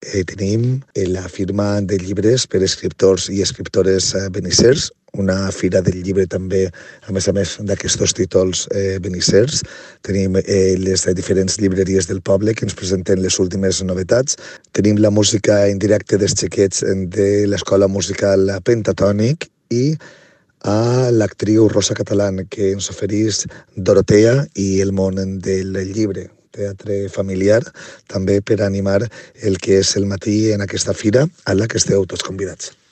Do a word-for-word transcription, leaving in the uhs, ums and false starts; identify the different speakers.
Speaker 1: Eh, tenim eh, la firma de llibres per escriptors i escriptores eh, benissers, una fira del llibre també, a més a més d'aquests títols eh, benissers. Tenim eh, les diferents llibreries del poble que ens presenten les últimes novetats. Tenim la música en directe dels xiquets de l'Escola Musical Pentatònic i a l'actriu Rosa Catalán, que ens ofereix Dorotea i el món del llibre, teatre familiar, també per animar el que és el matí en aquesta fira a la que esteu tots convidats.